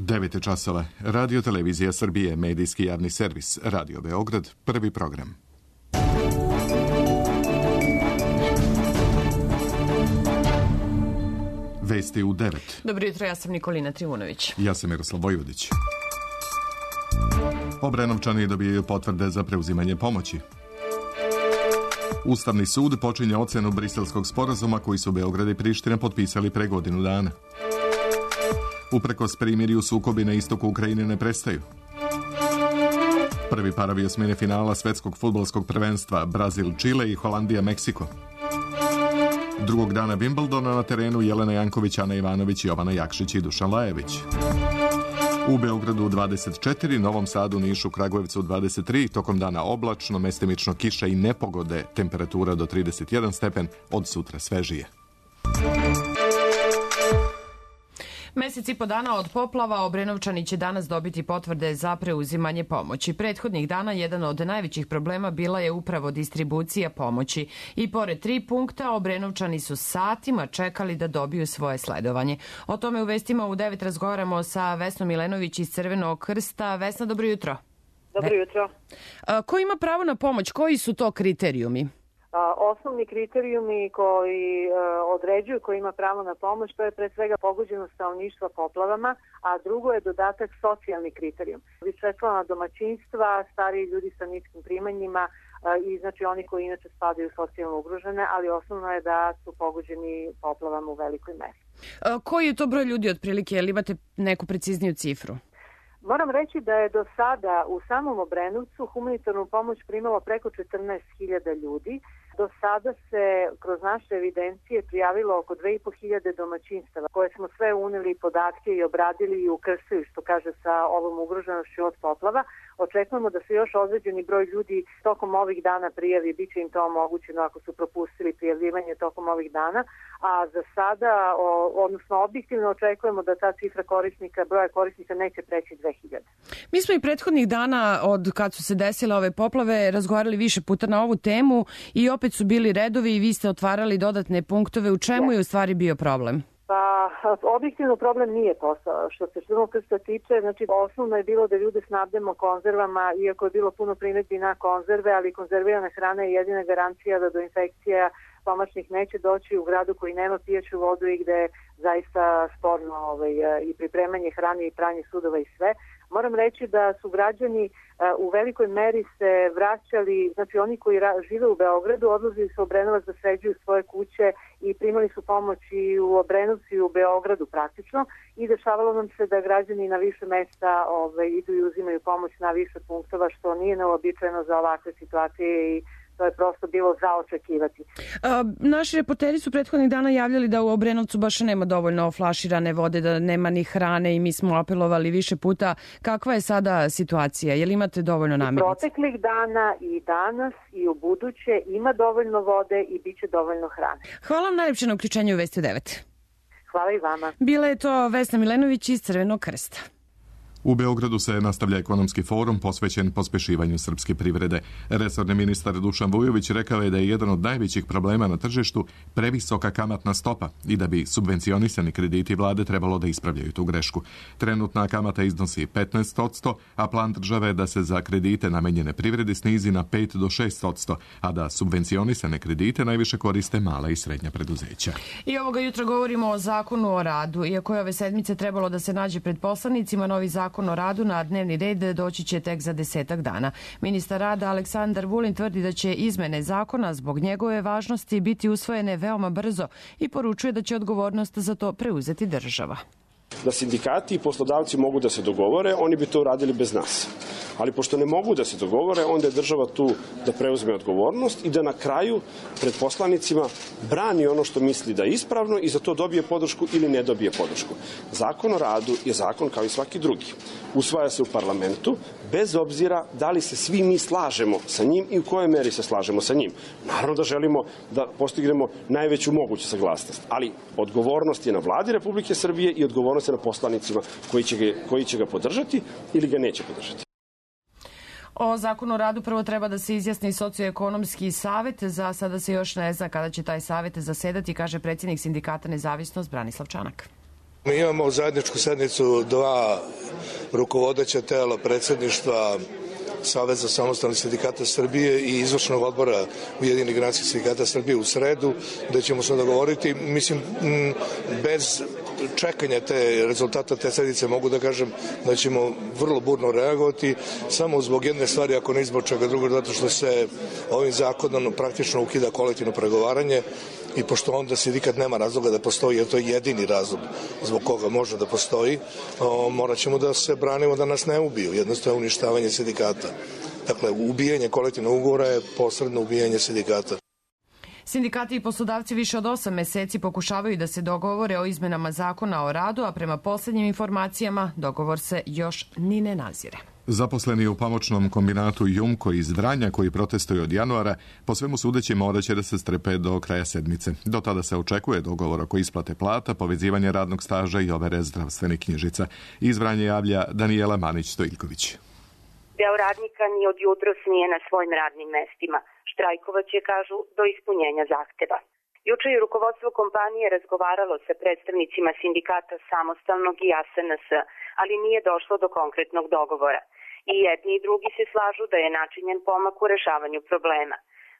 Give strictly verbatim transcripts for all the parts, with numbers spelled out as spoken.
devet časova. Radio Televizija Srbije, medijski javni servis, Radio Beograd, prvi program. Vesti u devet. Dobro jutro, ja sam Nikolina Trivunović. Ja sam Miroslav Vojvodić. Obrenovčani dobijaju potvrde za preuzimanje pomoći. Ustavni sud počinje ocenu Briselskog sporazuma koji su Beograd i Priština potpisali pre godinu dana. Uprkos primirju, sukobi na istoku Ukrajine ne prestaju. Prvi parovi osmine finala svetskog fudbalskog prvenstva Brazil, Čile i Holandija, Meksiko. Drugog dana Wimbledona na terenu Jelena Janković, Ana Ivanović, Jovana Jakšić i Dušan Lajević. U Beogradu dvadeset četiri, Novom Sadu, Nišu, Kragujevcu dvadeset tri, tokom dana oblačno, mestimično kiša i nepogode, temperatura do trideset jedan stepen, od sutra svežije. Mesec i po dana od poplava Obrenovčani će danas dobiti potvrde za preuzimanje pomoći. Prethodnih dana jedan od najvećih problema bila je upravo distribucija pomoći. I pored tri punkta, Obrenovčani su satima čekali da dobiju svoje sledovanje. O tome u vestima u devet razgovaramo sa Vesnom Milenović iz Crvenog krsta. Vesna, dobro jutro. Dobro jutro. A, ko ima pravo na pomoć? Koji su to kriterijumi? Osnovni kriterijumi koji određuju ko ima pravo na pomoć, to je pre svega pogođenost stanovništva poplavama, a drugo je dodatak socijalni kriterijum. Višečlana domaćinstva, stariji ljudi sa niskim primanjima i znači oni koji inače spadaju socijalno ugrožene, ali osnovno je da su pogođeni poplavama u velikoj meri. Koji je to broj ljudi otprilike? Jel imate neku precizniju cifru? Moram reći da je do sada u samom Obrenovcu humanitarnu pomoć primalo preko četrnaest hiljada ljudi. Do sada se kroz naše evidencije prijavilo oko dve i po hiljade domaćinstava koje smo sve uneli podatke i obradili i ukrstili, što kaže, sa ovom ugroženošću od poplava. Očekujemo da se još određeni broj ljudi tokom ovih dana prijavi, bit će im to omogućeno ako su propustili prijavljivanje tokom ovih dana, a za sada, odnosno objektivno očekujemo da ta cifra korisnika, broja korisnika neće preći dve hiljade. Mi smo i prethodnih dana od kad su se desile ove poplave razgovarali više puta na ovu temu i opet su bili redovi i vi ste otvarali dodatne punktove. U čemu je u stvari bio problem? Pa, objektivno problem nije posao. Što se Crvenog krsta tiče, znači osnovno je bilo da ljude snabdemo konzervama, iako je bilo puno primedbi na konzerve, ali konzervirana hrana je jedina garancija da do infekcija stomačnih neće doći u gradu koji nema pijaću vodu i gde je zaista sporno ovaj, i pripremanje hrane i pranje sudova i sve. Moram reći da su građani u velikoj meri se vraćali, znači oni koji žive u Beogradu, odlazili su u Obrenovac da sređuju svoje kuće i primali su pomoć i u Obrenovcu i u Beogradu praktično i dešavalo nam se da građani na više mesta ovaj, idu i uzimaju pomoć na više punktova, što nije neobičajeno za ovakve situacije i to je prosto bilo za očekivati. A, naši reporteri su prethodnih dana javljali da u Obrenovcu baš nema dovoljno flaširane vode, da nema ni hrane i mi smo apelovali više puta. Kakva je sada situacija? Je li imate dovoljno namirnica? Proteklih dana i danas i u buduće ima dovoljno vode i bit će dovoljno hrane. Hvala vam najlepše na uključenju u Vesti u devet. Hvala i vama. Bila je to Vesna Milenović iz Crvenog krsta. U Beogradu se nastavlja ekonomski forum posvećen pospešivanju srpske privrede. Resorni ministar Dušan Vujović rekao je da je jedan od najvećih problema na tržištu previsoka kamatna stopa i da bi subvencionisani krediti vlade trebalo da ispravljaju tu grešku. Trenutna kamata iznosi petnaest posto, a plan države je da se za kredite namenjene privredi snizi na pet do šest posto, a da subvencionisane kredite najviše koriste mala i srednja preduzeća. I ovoga jutra govorimo o zakonu o radu. Iako je ove sedmice trebalo da se nađe pred poslanicima, novi zakon Zakon o radu na dnevni red doći će tek za desetak dana. Ministar rada Aleksandar Vulin tvrdi da će izmene zakona zbog njegove važnosti biti usvojene veoma brzo i poručuje da će odgovornost za to preuzeti država. Da sindikati i poslodavci mogu da se dogovore, oni bi to uradili bez nas. Ali pošto ne mogu da se dogovore, onda je država tu da preuzme odgovornost i da na kraju pred poslanicima brani ono što misli da je ispravno i za to dobije podršku ili ne dobije podršku. Zakon o radu je zakon kao i svaki drugi. Usvaja se u parlamentu, bez obzira da li se svi mi slažemo sa njim i u kojoj meri se slažemo sa njim. Naravno da želimo da postignemo najveću moguću saglasnost, ali odgovornost je na vladi Republike Srbije i odgovornost je na poslanicima koji će ga, koji će ga podržati ili ga neće podržati. O zakonu o radu prvo treba da se izjasni socioekonomski savet. Za sada se još ne zna kada će taj savet zasedati, kaže predsjednik sindikata Nezavisnost Branislav Čanak. Mi imamo zajedničku sednicu dva rukovodeća tela predsjedništva Saveza samostalnih sindikata Srbije i izvršnog odbora Ujedinjenih granskih sindikata Srbije u sredu, gde ćemo se dogovoriti, mislim, bez čekanja te rezultata te sednice mogu da kažem da ćemo vrlo burno reagovati, samo zbog jedne stvari, ako ne zbog čega drugo, zato što se ovim zakonom praktično ukida kolektivno pregovaranje i pošto onda sindikat nema razloga da postoji, jer to je jedini razlog zbog koga može da postoji, o, morat ćemo da se branimo da nas ne ubiju, jednostavno uništavanje sindikata. Dakle, ubijanje kolektivnog ugovora je posredno ubijanje sindikata. Sindikati i poslodavci više od osam meseci pokušavaju da se dogovore o izmenama zakona o radu, a prema posljednjim informacijama dogovor se još ni ne nazire. Zaposleni u pomoćnom kombinatu Jumko iz Vranja, koji protestuju od januara, po svemu sudeći morat će da se strpe do kraja sedmice. Do tada se očekuje dogovor oko isplate plata, povezivanje radnog staža i overe zdravstvenih knjižica. Iz Vranja javlja Danijela Manić-Stojljković. Deo radnika ni od jutros nije na svojim radnim mestima. Štrajkovat će, kažu, do ispunjenja zahteva. Juče je rukovodstvo kompanije razgovaralo sa predstavnicima sindikata Samostalnog i A S N S, ali nije došlo do konkretnog dogovora. I jedni i drugi se slažu da je načinjen pomak u rešavanju problema.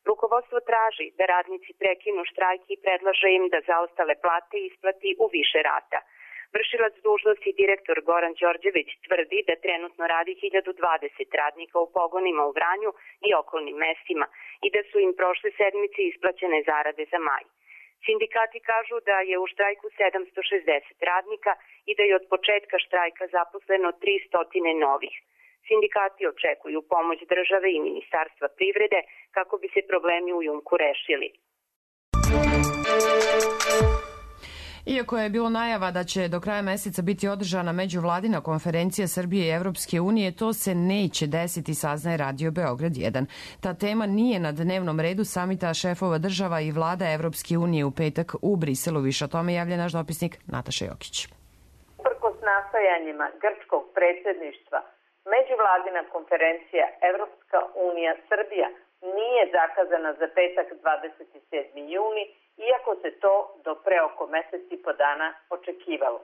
Rukovodstvo traži da radnici prekinu štrajk i predlaže im da zaostale plate isplati u više rata. Vršilac dužnosti direktor Goran Đorđević tvrdi da trenutno radi hiljadu dvadeset radnika u pogonima u Vranju i okolnim mestima i da su im prošle sedmice isplaćene zarade za maj. Sindikati kažu da je u štrajku sedamsto šezdeset radnika i da je od početka štrajka zaposleno tristo novih. Sindikati očekuju pomoć države i Ministarstva privrede kako bi se problemi u Jumku rešili. Iako je bilo najava da će do kraja meseca biti održana međuvladina konferencija Srbije i Evropske unije, to se neće desiti, saznaje Radio Beograd jedan. Ta tema nije na dnevnom redu samita šefova država i vlada Evropske unije u petak u Briselu. Više o tome javlja naš dopisnik Nataša Jokić. Uprkos nastojanjima grčkog predsjedništva, međuvladina konferencija Evropska unija Srbija nije zakazana za petak dvadeset sedmi juni, iako se to do pre oko mesec i po dana očekivalo.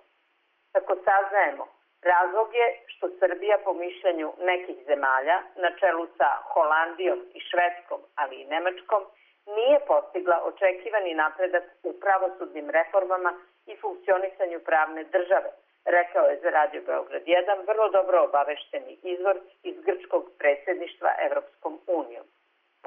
Kako saznajemo, razlog je što Srbija po mišljenju nekih zemalja, na čelu sa Holandijom i Švedskom, ali i Nemačkom, nije postigla očekivani napredak u pravosudnim reformama i funkcionisanju pravne države, rekao je za Radio Beograd jedan vrlo dobro obavešteni izvor iz grčkog predsjedništva Evropskom unijom.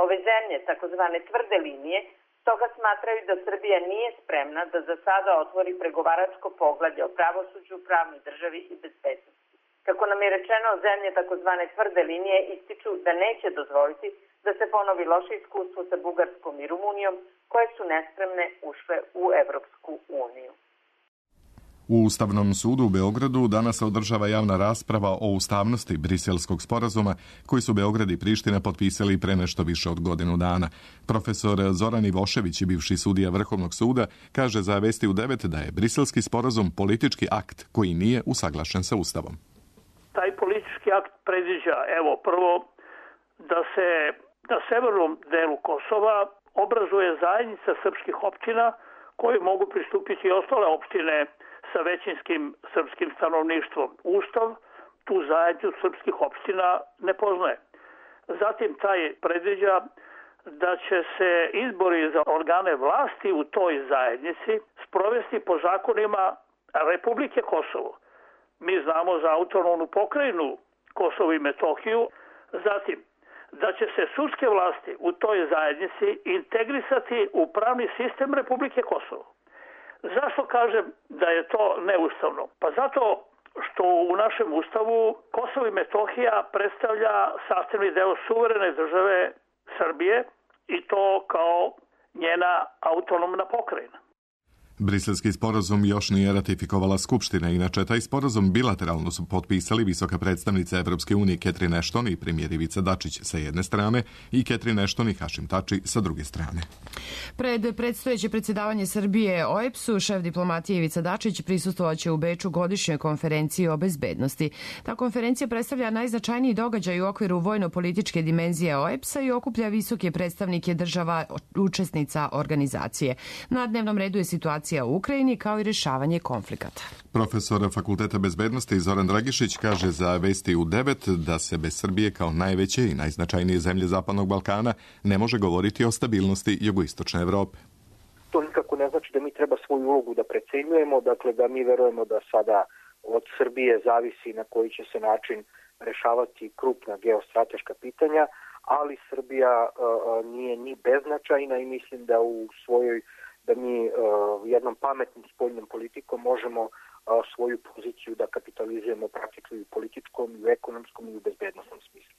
Ove zemlje, takozvane tvrde linije, stoga smatraju da Srbija nije spremna da za sada otvori pregovaračko poglavlje o pravosuđu, pravnoj državi i bezbednosti. Kako nam je rečeno, zemlje takozvane tvrde linije ističu da neće dozvoliti da se ponovi loše iskustvo sa Bugarskom i Rumunijom, koje su nespremne ušle u Evropsku uniju. U Ustavnom sudu u Beogradu danas se održava javna rasprava o ustavnosti Briselskog sporazuma koji su Beograd i Priština potpisali pre nešto više od godinu dana. Profesor Zoran Ivošević, bivši sudija Vrhovnog suda, kaže za Vesti u devet da je Briselski sporazum politički akt koji nije usaglašen sa Ustavom. Taj politički akt predviđa, evo, prvo da se na severnom delu Kosova obrazuje zajednica srpskih opština koje mogu pristupiti i ostale opštine sa većinskim srpskim stanovništvom. Ustav tu zajednicu srpskih opština ne poznaje. Zatim taj predviđa da će se izbori za organe vlasti u toj zajednici sprovesti po zakonima Republike Kosovo. Mi znamo za autonomnu pokrajinu Kosovo i Metohiju. Zatim da će se sudske vlasti u toj zajednici integrisati u pravni sistem Republike Kosovo. Zašto kažem da je to neustavno? Pa zato što u našem ustavu Kosovo i Metohija predstavlja sastavni deo suverene države Srbije i to kao njena autonomna pokrajina. Briselski sporazum još nije ratifikovala Skupština, inače taj sporazum bilateralno su potpisali visoka predstavnica Evropske unije Catherine Ashton i premijer Ivica Dačić sa jedne strane i Catherine Ashton i Hašim Tači sa druge strane. Pred predstojeće predsjedavanje Srbije O E B S-u, šef diplomatije Ivica Dačić prisustvovaće u Beču godišnjoj konferenciji o bezbednosti. Ta konferencija predstavlja najznačajniji događaj u okviru vojno-političke dimenzije O E B S-a i okuplja visoke predstavnike država učesnica organizacije. Na dnevnom redu je situacija situacija u Ukrajini kao i rješavanje konflikata. Profesor Fakulteta bezbednosti Zoran Dragišić kaže za Vesti u devet da se bez Srbije kao najveće i najznačajnije zemlje Zapadnog Balkana ne može govoriti o stabilnosti jugoistočne Evrope. To nikako ne znači da mi treba svoju ulogu da precenjujemo, dakle da mi verujemo da sada od Srbije zavisi na koji će se način rešavati krupna geostrateška pitanja, ali Srbija uh, nije ni beznačajna i mislim da u svojoj, da mi uh, jednom pametnim spoljnom politikom možemo uh, svoju poziciju da kapitalizujemo praktično i u političkom, i u ekonomskom, i u bezbednostnom smislu.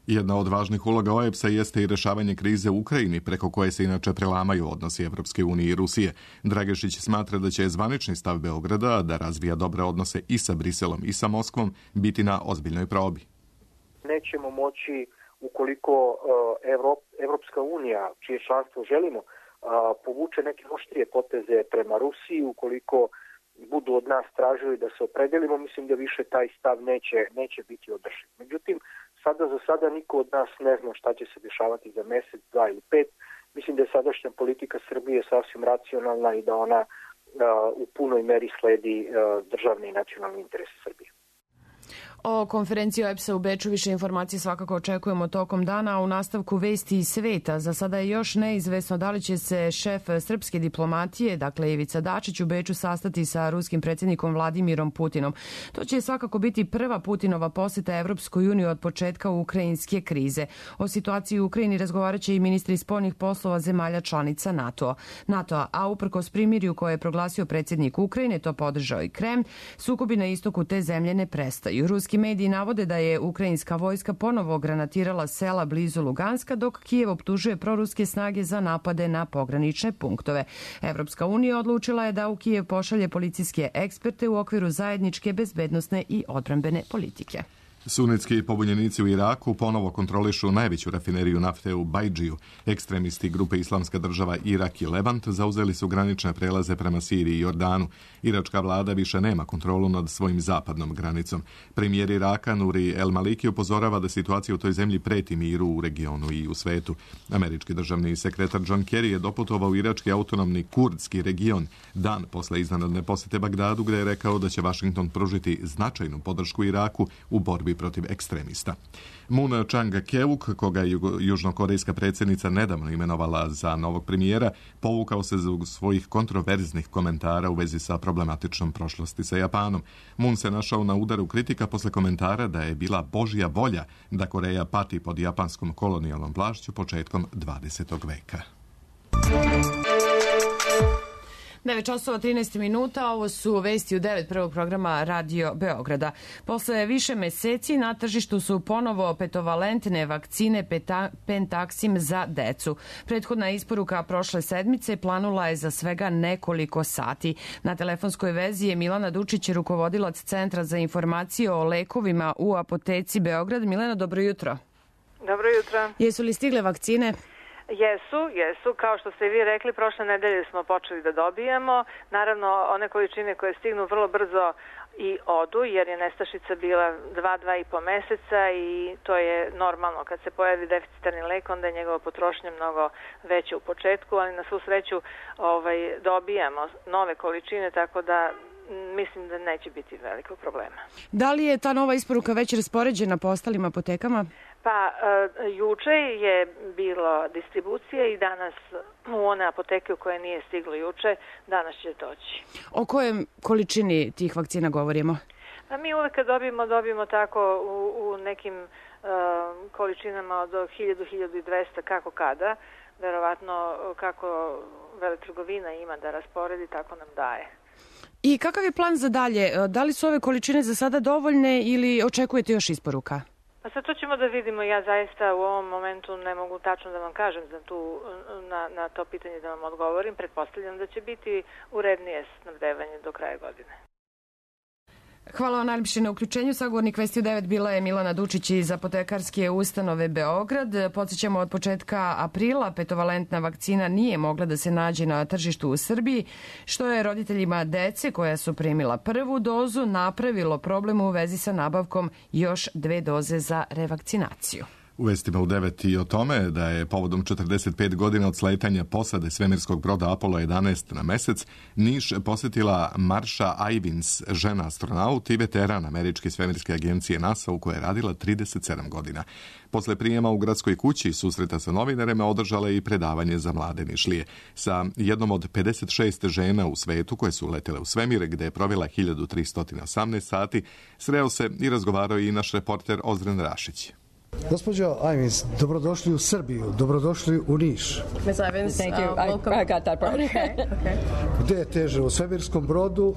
Jedna od važnih uloga O E B S-a jeste i rešavanje krize u Ukrajini, preko koje se inače prelamaju odnosi Evropske unije i Rusije. Dragešić smatra da će zvanični stav Beograda da razvija dobre odnose i sa Briselom i sa Moskvom biti na ozbiljnoj probi. Nećemo moći, ukoliko Evrop, Evropska unija, čije članstvo želimo, povuče neke oštrije poteze prema Rusiji, ukoliko budu od nas tražili da se opredelimo, mislim da više taj stav neće, neće biti održiv. Međutim, sada za sada niko od nas ne zna šta će se dešavati za mesec, dva ili pet. Mislim da je sadašnja politika Srbije sasvim racionalna i da ona uh, u punoj meri sledi uh, državne i nacionalne interese Srbije. O konferenciji O E B S-a u Beču više informacije svakako očekujemo tokom dana, a u nastavku Vesti iz sveta. Za sada je još neizvesno da li će se šef srpske diplomatije, dakle Ivica Dačić, u Beču sastati sa ruskim predsjednikom Vladimirom Putinom. To će svakako biti prva Putinova posjeta Evropskoj uniji od početka ukrajinske krize. O situaciji u Ukrajini razgovarat će i ministri spoljnih poslova zemalja članica NATO-a. NATO-a, a uprkos primirju koje je proglasio predsjednik Ukrajine, to podržao i Kremlj, sukobi na istoku te zemlje ne prestaju. Ruski mediji navode da je ukrajinska vojska ponovo granatirala sela blizu Luganska, dok Kijev optužuje proruske snage za napade na pogranične punktove. Evropska unija odlučila je da u Kijev pošalje policijske eksperte u okviru zajedničke bezbednosne i odbrambene politike. Sunetski pobunjenici u Iraku ponovo kontrolišu najveću rafineriju nafte u Bajdžiju. Ekstremisti grupe Islamska država Irak i Levant zauzeli su granične prelaze prema Siriji i Jordanu. Iračka vlada više nema kontrolu nad svojim zapadnom granicom. Premijer Iraka Nuri El Maliki upozorava da situacija u toj zemlji preti miru u regionu i u svetu. Američki državni sekretar John Kerry je doputovao u irački autonomni kurdski region dan posle iznenadne posete Bagdadu, gde je rekao da će Washington pružiti značajnu podršku Iraku u borbi protiv ekstremista. Moon Chang-keuk, koga je južnokorejska predsjednica nedavno imenovala za novog premijera, povukao se zbog svojih kontroverznih komentara u vezi sa problematičnom prošlosti sa Japanom. Moon se našao na udaru kritika posle komentara da je bila božja volja da Koreja pati pod japanskom kolonijalnom vlašću početkom dvadesetog veka. devet časova trinaest minuta, ovo su Vesti u devet prvog programa Radio Beograda. Posle više meseci na tržištu su ponovo petovalentne vakcine peta, Pentaksim za decu. Prethodna isporuka prošle sedmice planula je za svega nekoliko sati. Na telefonskoj vezi je Milana Dučić, rukovodilac Centra za informacije o lekovima u apoteci Beograd. Milena, dobro jutro. Dobro jutro. Jesu li stigle vakcine? Jesu, jesu. Kao što ste vi rekli, prošle nedelje smo počeli da dobijamo. Naravno, one količine koje stignu vrlo brzo i odu, jer je nestašica bila dva, dva i po meseca i to je normalno. Kad se pojavi deficitarni lek, onda je njegova potrošnja mnogo veća u početku, ali na svu sreću ovaj, dobijamo nove količine, tako da mislim da neće biti velikog problema. Da li je ta nova isporuka već raspoređena po ostalim apotekama? Pa, e, juče je bilo distribucije i danas u one apoteke u koje nije stiglo juče, danas će doći. O kojoj količini tih vakcina govorimo? Pa mi uvek kad dobijemo, dobijemo tako u, u nekim e, količinama od hiljadu do hiljadu dvesta kako kada. Verovatno kako veletrgovina ima da rasporedi, tako nam daje. I kakav je plan za dalje? Da li su ove količine za sada dovoljne ili očekujete još isporuka? Pa sad to ćemo da vidimo. Ja zaista u ovom momentu ne mogu tačno da vam kažem za tu, na, na to pitanje da vam odgovorim. Pretpostavljam da će biti urednije snabdevanje do kraja godine. Hvala vam najljepše na uključenju. Sagovornik Vesti u devet bila je Milana Dučić iz apotekarske ustanove Beograd. Podsjećamo, od početka aprila petovalentna vakcina nije mogla da se nađe na tržištu u Srbiji, što je roditeljima dece koja su primila prvu dozu napravilo problem u vezi sa nabavkom još dve doze za revakcinaciju. U vestima u devet i o tome da je povodom četrdeset pet godina od sletanja posade svemirskog broda Apollo jedanaest na mesec Niš posjetila Marsha Ivins, žena astronaut i veteran američke svemirske agencije NASA u kojoj je radila trideset sedam godina. Posle prijema u gradskoj kući susreta sa novinarima održala je i predavanje za mlade Nišlije sa jednom od pedeset šest žena u svetu koje su letele u svemir, gde je provela hiljadu tristo osamnaest sati. Sreo se i razgovarao i naš reporter Ozren Rašić. Gospođo Ivins, dobrodošli u Srbiju, dobrodošli u Niš. Miz Ivins, Thank you. Uh, I, I got that part. Okay, okay. Gde je teže, u svemirskom brodu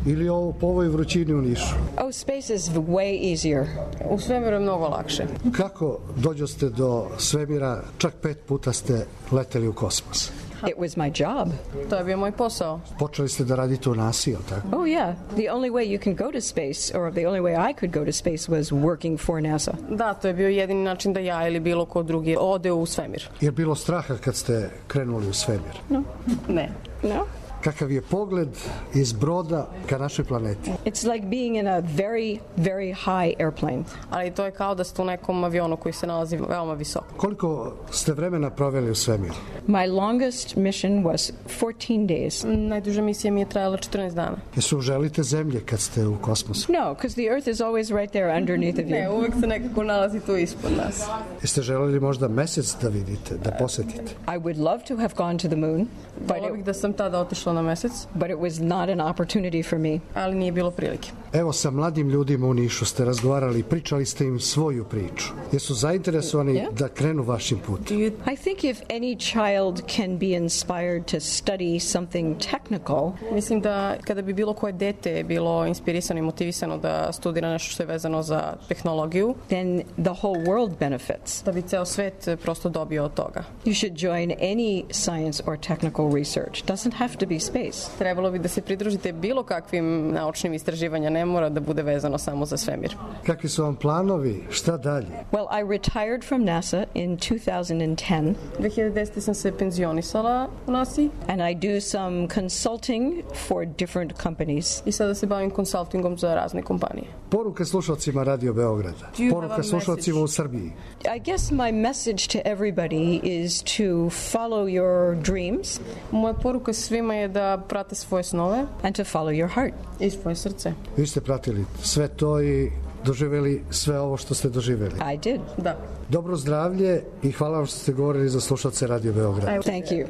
ili ovo, po ovoj vrućini u Nišu? Oh, space is way easier. U svemiru je mnogo lakše. Kako dođoste do svemira, čak pet puta ste leteli u kosmos? It was my job. To je bio moj posao. Počeli ste da radite u NASA, je li tako? Oh yeah. The only way you can go to space, or the only way I could go to space was working for NASA. Da, to je bio jedini način da ja ili bilo ko drugi ode u svemir. Je bilo straha kad ste krenuli u svemir? No. Ne. No. Kakav je pogled iz broda ka našoj planeti? It's like being in a very, very high airplane. Ali to je kao da ste u nekom avionu koji se nalazi veoma visoko. Koliko ste vremena proveli u svemiru? My longest mission was fourteen days. Najduža misija mi je trajala četrnaest dana. Jesu želite zemlje kad ste u kosmosu? No, because the Earth is always right there underneath of you. Ne, uvek se nekako nalazi tu ispod nas. Jeste želeli možda mesec da vidite, da posetite? I would love to have gone to the moon. Volio bih da sam tada otišla na mesec. But it was not an opportunity for me. Ali nije bilo prilike. Evo, sa mladim ljudima u Nišu ste razgovarali, pričali ste im svoju priču. Jesu zainteresovani yeah. da krenu vašim putem? I think if any child can be inspired to study something technical. Mislim da kada bi bilo koje dete bilo inspirisano i motivisano da studira nešto što je vezano za tehnologiju, then the whole world benefits. Da bi ceo svet prosto dobio od toga. You should join any science or technical research. Doesn't have to be space. Trebalo bi da se pridružite bilo kakvim naučnim istraživanjima, ne mora da bude vezano samo za svemir. Kakvi su vam planovi? Šta dalje? Well, I retired from NASA in two thousand ten. dve hiljade desete sam se penzionisala u NASA. And I do some consulting for different companies. I sada se bavim konsultingom za razne kompanije. Poruka slušalcima Radio Beograda. Poruka slušalcima u Srbiji. I guess my message to everybody is to follow your dreams. Moja poruka svima je da prate svoje snove. And to follow your heart. I svoje srce. Vi ste pratili sve to i doživjeli sve ovo što ste doživjeli. I did. Da. Dobro zdravlje i hvala vam što ste govorili za slušalce Radio Beograd. Thank you.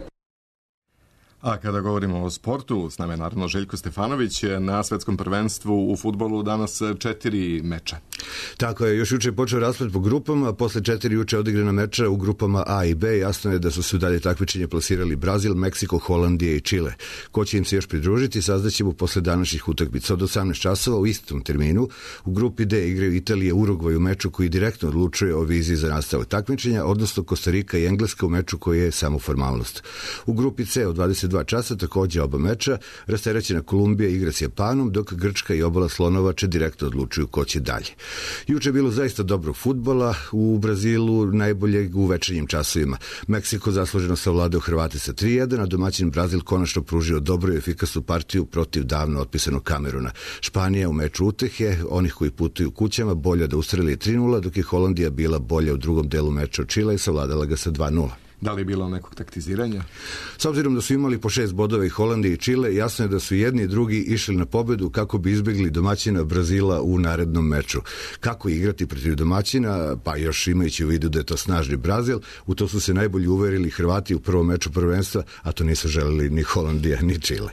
A kada govorimo o sportu, s nama je naravno Željko Stefanović. Na svetskom prvenstvu u fudbalu danas četiri meča. Tako je, još juče je počeo rasplet po grupama, posle četiri juče odigrana meča u grupama A i B. Jasno je da su se u dalje takmičenje plasirali Brazil, Meksiko, Holandija i Čile. Ko će im se još pridružiti, saznaćemo posle današnjih utakmica. Od osamnaest časova u istom terminu u grupi D igraju Italija, Urugvaj u meču koji direktno odlučuje o viziji za nastavak takmičenja, odnosno Kostarika i Engleska u meču koji je samo formalnost. U grupi C od dvadeset dva časa takođe oba meča, rasterećena Kolumbija igra s Japanom, dok Grčka i Obala Slonovače direktno odlučuju ko će dalje. Juče je bilo zaista dobrog fudbala u Brazilu, najboljeg u večernjim časovima. Meksiko zasluženo savladao Hrvate sa tri jedan, a domaćin Brazil konačno pružio dobru i efikasnu partiju protiv davno otpisanog Kameruna. Španija u meču utehe, onih koji putuju kućama, bolje da ustreli tri nula, dok je Holandija bila bolja u drugom delu meča od Čila i savladala ga sa dva nula. Da li je bilo nekog taktiziranja? S obzirom da su imali po šest bodova i Holandije i Čile, jasno je da su jedni i drugi išli na pobedu kako bi izbjegli domaćina Brazila u narednom meču. Kako igrati protiv domaćina, pa još imajući u vidu da je to snažni Brazil, u to su se najbolje uverili Hrvati u prvom meču prvenstva, a to nisu želeli ni Holandija ni Čile.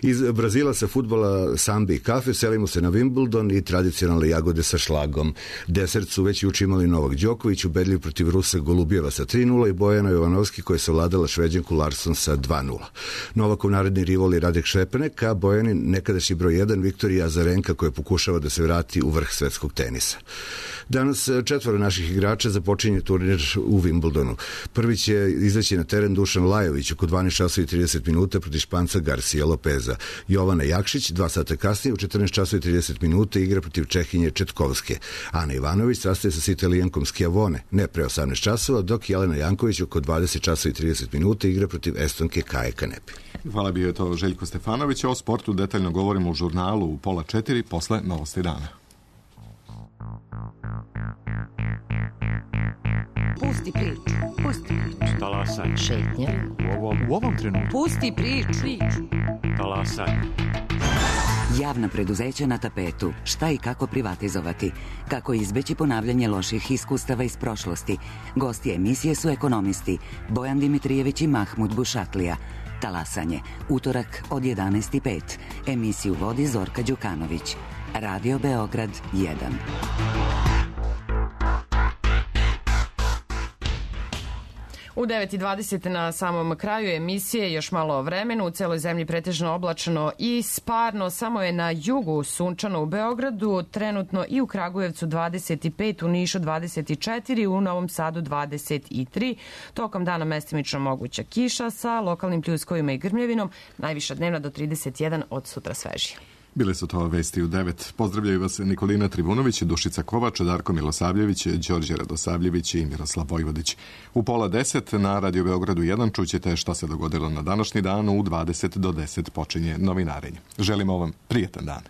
Iz Brazila sa fudbala, sambe i kafe selimo se na Wimbledon i tradicionalne jagode sa šlagom. Desert su već juče imali Novak Đoković, ubedljiv protiv Rusa Golubjeva sa tri nula i Bojana Jovanovski koja je savladala Šveđanku Larsson sa dva nula. Novakov naredni rival je Radek Šepanek, a Bojanin nekadašnji broj jedan Viktorija Azarenka koja pokušava da se vrati u vrh svetskog tenisa. Danas četvoro naših igrača započinje turnir u Wimbledonu. Prvi će izaći na teren Dušan Lajović oko dvanaest časova i trideset minuta protiv Španca Garcia Lopeza. Jovana Jakšić dva sata kasnije u četrnaest časova i trideset minuta igra protiv Čehinje Četkovske. Ana Ivanović sastaje se s Italijankom Schiavone ne pre osamnaest časova, dok Jelena Janković oko dvadeset časova i trideset minuta igra protiv Estonke Kaje Kanepi. Hvala, bio je to Željko Stefanović. O sportu detaljno govorimo u žurnalu u pola četiri posle Novosti dana. Pusti priču. Pusti priču. Talasaj. Šetnja. U ovom, u ovom trenutku. Pusti priču. Talasaj. Javna preduzeća na tapetu. Šta i kako privatizovati? Kako izbeći ponavljanje loših iskustava iz prošlosti? Gosti emisije su ekonomisti Bojan Dimitrijević i Mahmud Bušatlija. Talasanje. Utorak od jedanaest i pet. Emisiju vodi Zorka Đukanović. Radio Beograd jedan. U devet i dvadeset na samom kraju emisije još malo o vremenu. U celoj zemlji pretežno oblačno i sparno. Samo je na jugu sunčano u Beogradu, trenutno i u Kragujevcu dvadeset pet, u Nišu dvadeset četiri, u Novom Sadu dvadeset tri. Tokom dana mestimično moguća kiša sa lokalnim pljuskovima i grmljevinom. Najviša dnevna do trideset jedan, od sutra svežije. Bile su to vesti u devet. Pozdravljaju vas Nikolina Trivunović, Dušica Kovač, Darko Milosavljević, Đorđe Radosavljević i Miroslav Vojvodić. U pola deset na Radio Beogradu jedan čućete šta se dogodilo na današnji dan. U dvadeset do deset počinje novinarenje. Želimo vam prijetan dan.